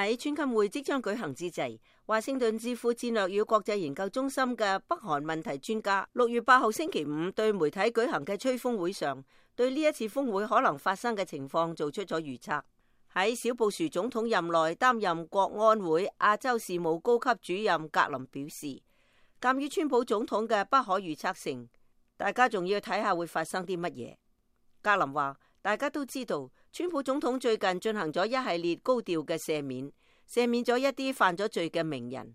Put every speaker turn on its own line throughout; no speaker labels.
喺川金會即將舉行之際，華盛頓智庫戰略與國際研究中心嘅北韓問題專家6月8號星期五對媒體舉行嘅吹風會上，對呢一次峰會可能發生嘅情況做出咗預測。喺小布殊總統任內擔任國安會亞洲事務高級主任格林表示，鑑於川普總統嘅不可預測性，大家仲要睇下會發生啲乜嘢。格林話，大家都知道川普總統最近進行咗一系列高調嘅赦免咗一啲犯咗罪嘅名人。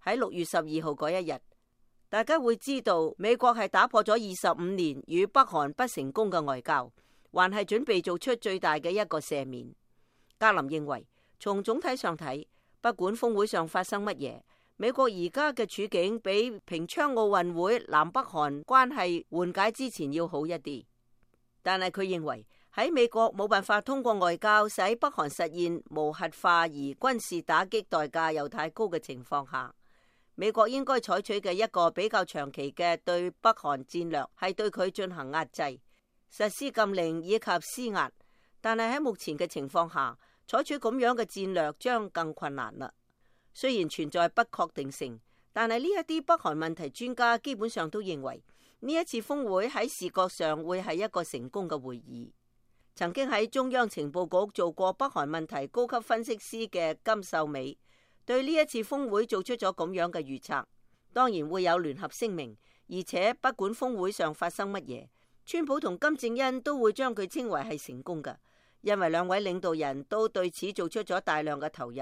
喺6月12號嗰一日，大家會知道美國係打破咗25年與北韓不成功嘅外交，還係準備做出最大嘅一個赦免。格林認為，從總體上睇，不管峰會上發生乜嘢，美國而家嘅處境比平昌奧運會南北韓關係緩解之前要好一啲。但係佢認為喺美國冇辦法通過外交使北韓實現無核化而軍事打擊代價又太高嘅情況下，美國應該採取嘅一個比較長期嘅對北韓戰略係對佢進行壓制、實施禁令以及施壓。但係喺目前嘅情況下，採取咁樣嘅戰略將更困難啦。雖然存在不確定性，但係呢一啲北韓問題專家基本上都認為呢一次峰會喺視覺上會係一個成功嘅會議。曾經喺中央情報局做過北韓問題高級分析師嘅金秀美對呢一次峰會做出咗咁樣嘅預測。當然會有聯合聲明，而且不管峰會上發生乜嘢，川普同金正恩都會將佢稱為係成功嘅。因為兩位領導人都對此做出咗大量嘅投入，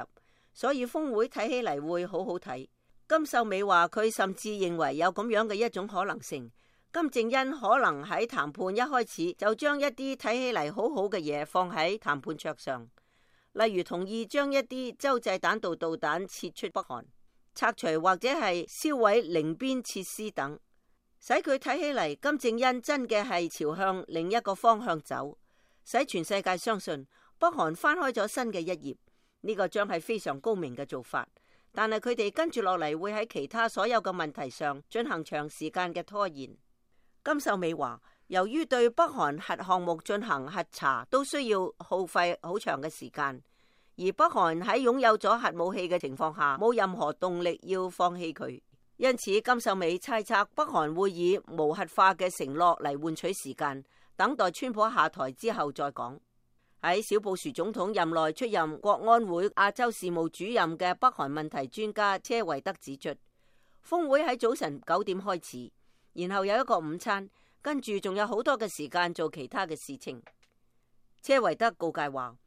所以峰會睇起嚟會好好睇。金秀美話佢甚至認為有咁樣嘅一種可能性，金正恩可能喺談判一開始就將一啲睇起嚟好好嘅嘢放喺談判桌上，例如同意將一啲洲際彈道導彈撤出北韓、拆除或者係銷毀寧邊設施等，使佢睇起嚟金正恩真嘅係朝向另一個方向走，使全世界相信北韓翻開咗新嘅一頁。呢個將係非常高明嘅做法，但係佢哋跟住落嚟會喺其他所有嘅問題上進行長時間嘅拖延。金秀美話，由於對北韓核項目進行核查都需要耗費好長嘅時間，而北韓喺擁有咗核武器嘅情況下冇任何動力要放棄佢，因此金秀美猜測北韓會以無核化嘅承諾嚟換取時間，等待川普下台之後再講。喺小布殊總統任內出任國安會亞洲事務主任嘅北韓問題專家車維德指出，峰會喺早晨9點開始，然後有一個午餐，跟住仲有好多嘅時間做其他嘅事情。車維德告誡話，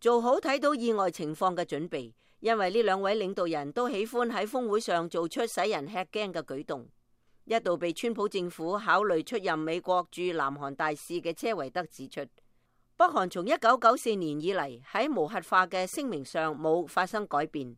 做好睇到意外情況嘅準備，因為呢兩位領導人都喜歡喺峰會上做出使人吃驚嘅舉動。一度被川普政府考慮出任美國駐南韓大使嘅車維德指出，北韓從1994年以嚟喺無核化嘅聲明上冇發生改變。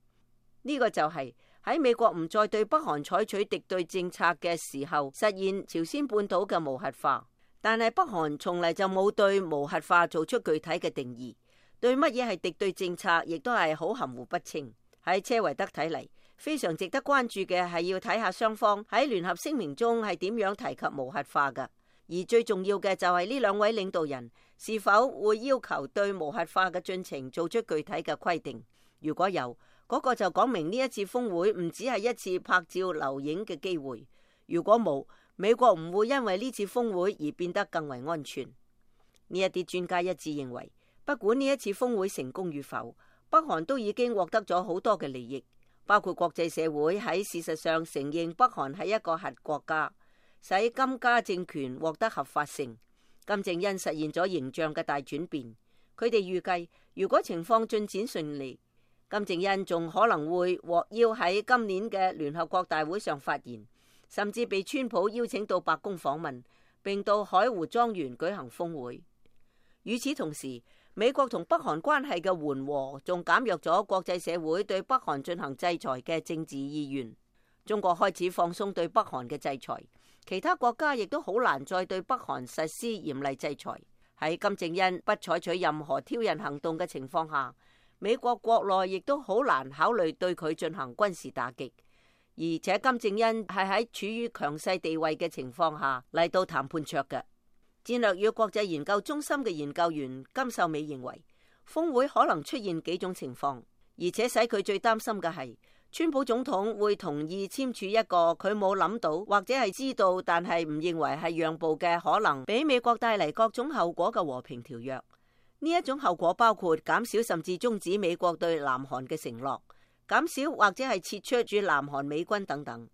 呢個就係喺美國唔再對北韓採取敵對政策嘅時候，實現朝鮮半島嘅無核化。但係北韓從嚟就冇對無核化做出具體嘅定義，對乜嘢係敵對政策亦都係好含糊不清。喺車維德睇嚟，非常值得關注嘅係要睇下雙方喺聯合聲明中係點樣提及無核化㗎。而最重要嘅就係呢兩位領導人是否會要求對無核化嘅進程做出具體嘅規定。如果有，嗰個就講明呢一次峰會唔只係一次拍照留影嘅機會。如果冇，美國唔會因為呢次峰會而變得更為安全。呢一啲專家一致認為，不管呢一次峰會成功與否，北韓都已經獲得咗好多嘅利益，包括國際社會喺事實上承認北韓係一個核國家，使金家政權獲得合法性。金正恩實現咗形象嘅大轉變。佢哋預計，如果情況進展順利，金正恩仲可能會獲邀喺今年嘅聯合國大會上發言，甚至被川普邀請到白宮訪問，並到海湖莊園舉行峰會。與此同時，美國同北韓關係嘅緩和仲減弱咗國際社會對北韓進行制裁嘅政治意願。中國開始放鬆對北韓嘅制裁，其他國家亦都好難再對北韓實施嚴厲制裁。喺金正恩不採取任何挑釁行動嘅情況下，美國國內亦都好難考慮對佢進行軍事打擊。而且金正恩係喺處於強勢地位嘅情況下嚟到談判桌嘅。戰略與國際研究中心嘅研究員金秀美認為，峰會可能出現幾種情況。而且使佢最擔心嘅係，川普總統會同意簽署一個佢冇諗到或者係知道，但係唔認為係讓步嘅可能，俾美國帶嚟各種後果嘅和平條約。呢一種後果包括減少甚至終止美國對南韓嘅承諾，減少或者係撤出駐南韓美軍等等。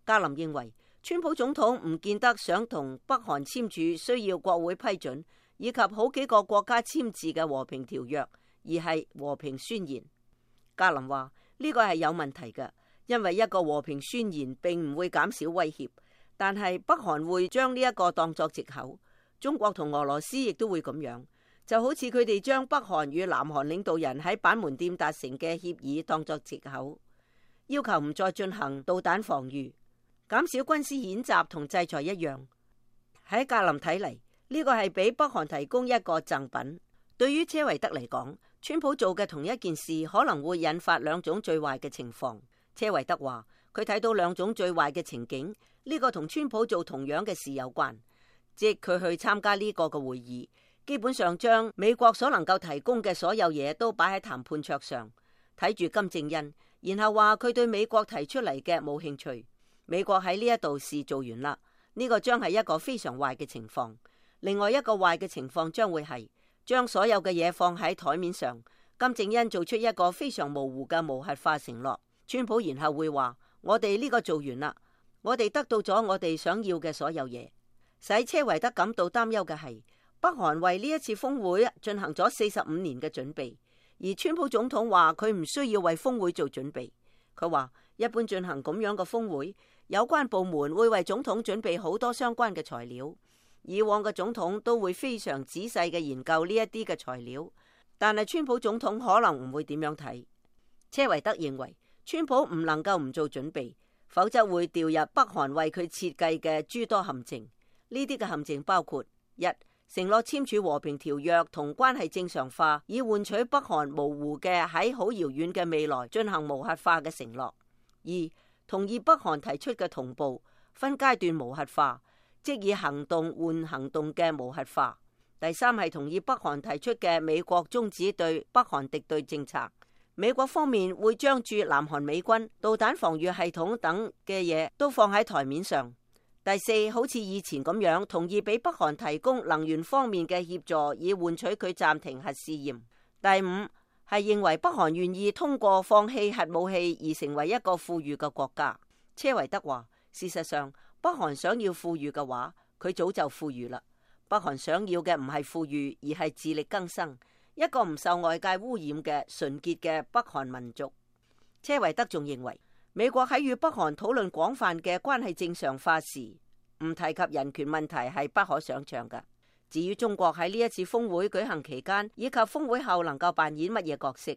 格林認為，川普總統唔見得想同北韓簽署需要國會批准以及好幾個國家簽字嘅和平條約，而係和平宣言。格林話呢個係有問題嘅，因為一個和平宣言並唔會減少威脅，但係北韓會將呢一個當作藉口。中國同俄羅斯亦都會咁樣。就好似佢哋將北韓與南韓領導人喺板門店達成嘅協議當作藉口，要求唔再進行導彈防禦、減少軍事演習同制裁一樣。喺格林睇嚟，呢個係俾北韓提供一個贈品。對於車維德嚟講，川普做嘅同一件事可能會引發兩種最壞嘅情況。車維德話佢睇到兩種最壞嘅情景，呢個同川普做同樣嘅事有關，即佢去參加呢個嘅會議，基本上將美國所能夠提供嘅所有嘢都擺喺談判桌上，睇住金正恩，然後話佢對美國提出嚟嘅冇興趣。美國喺呢一度事做完啦，呢個將係一個非常壞嘅情況。另外一個壞嘅情況將會係將所有嘅嘢放喺台面上，金正恩做出一個非常模糊嘅無核化承諾，川普然後會話我哋呢個做完啦，我哋得到咗我哋想要嘅所有嘢。使車維德感到擔憂嘅係，北韓為呢一次峰會進行咗45年嘅準備，而川普總統話佢唔需要為峰會做準備。佢話一般進行咁樣嘅峰會，有關部門會為總統準備好多相關嘅材料。以往嘅總統都會非常仔細嘅研究呢一啲嘅材料，但係川普總統可能唔會點樣睇。車維德認為川普唔能夠唔做準備，否則會掉入北韓為佢設計嘅諸多陷阱。呢啲嘅陷阱包括：一、承諾簽署和平條約同關係正常化，以換取北韓模糊嘅喺好遙遠嘅未來進行無核化嘅承諾；二、同意北韓提出嘅同步分階段無核化，即以行動換行動嘅無核化；第三係同意北韓提出嘅美國終止對北韓敵對政策，美國方面會將駐南韓美軍、導彈防禦系統等嘅嘢都放喺台面上。第四，好似以前咁樣，同意俾北韓提供能源方面嘅協助，以換取佢暫停核試驗。第五，係認為北韓願意通過放棄核武器而成為一個富裕嘅國家。車維德話，事實上，北韓想要富裕嘅話，佢早就富裕啦。北韓想要嘅唔係富裕，而係自力更生，一個唔受外界污染嘅純潔嘅北韓民族。車維德仲認為，美國喺與北韓討論廣泛嘅關係正常化時，唔提及人權問題係不可想象嘅。至於中國喺呢一次峰會舉行期間以及峰會後能夠扮演乜嘢角色，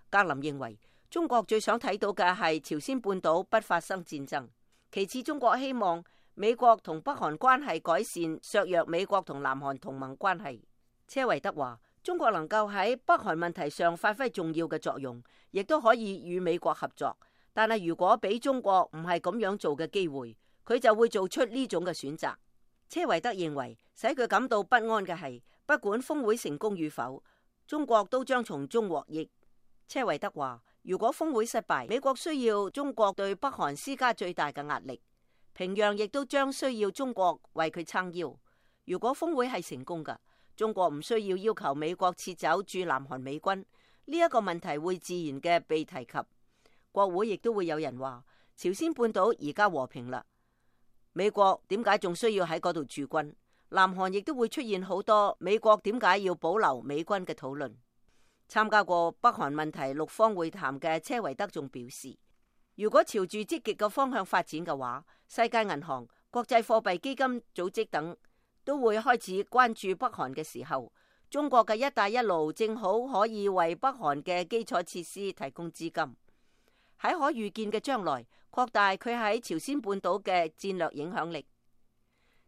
格林認為中國最想睇到嘅係朝鮮半島不發生戰爭。其次，中國希望美國同北韓關係改善，削弱美國同南韓同盟關係。車維德話，中國能夠喺北韓問題上發揮重要嘅作用，亦都可以與美國合作。但係如果俾中國唔係咁樣做嘅機會，佢就會做出呢種嘅選擇。車維德認為，使佢感到不安嘅係，不管峰會成功與否，中國都將從中獲益。車維德話，如果峰會失敗，美國需要中國對北韓施加最大嘅壓力，平壤亦都將需要中國為佢撐腰。如果峰會係成功嘅，中國唔需要要求美國撤走駐南韓美軍，呢一個問題會自然嘅被提及。國會亦都會有人話，朝鮮半島而家和平啦，美國點解仲需要喺嗰度駐軍？南韓亦都會出現好多美國點解要保留美軍嘅討論。參加過北韓問題6方會談嘅車維德仲表示，如果朝住積極嘅方向發展嘅話，世界銀行、國際貨幣基金組織等都會開始關注北韓嘅時候，中國嘅一帶一路正好可以為北韓嘅基礎設施提供資金，喺可預見嘅將來擴大佢喺朝鮮半島嘅戰略影響力。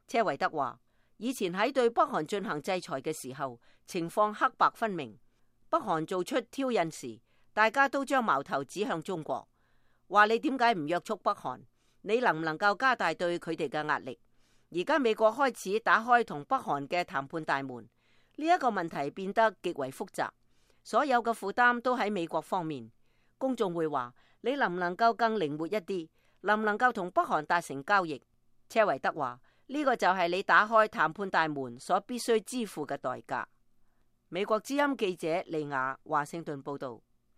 車維德話，以前喺對北韓進行制裁嘅時候，情況黑白分明。北韓做出挑釁時，大家都將矛頭指向中國，話你點解唔約束北韓？你能唔能夠加大對佢哋嘅壓力？而家美國開始打開同北韓嘅談判大門，呢一個問題變得極為複雜。所有嘅負擔都喺美國方面。公眾會話：你能唔能夠更靈活一啲？能唔能夠同北韓達成交易？車維德話：呢個就係你打開談判大門所必須支付嘅代價。美國之音記者利亞華盛頓報道。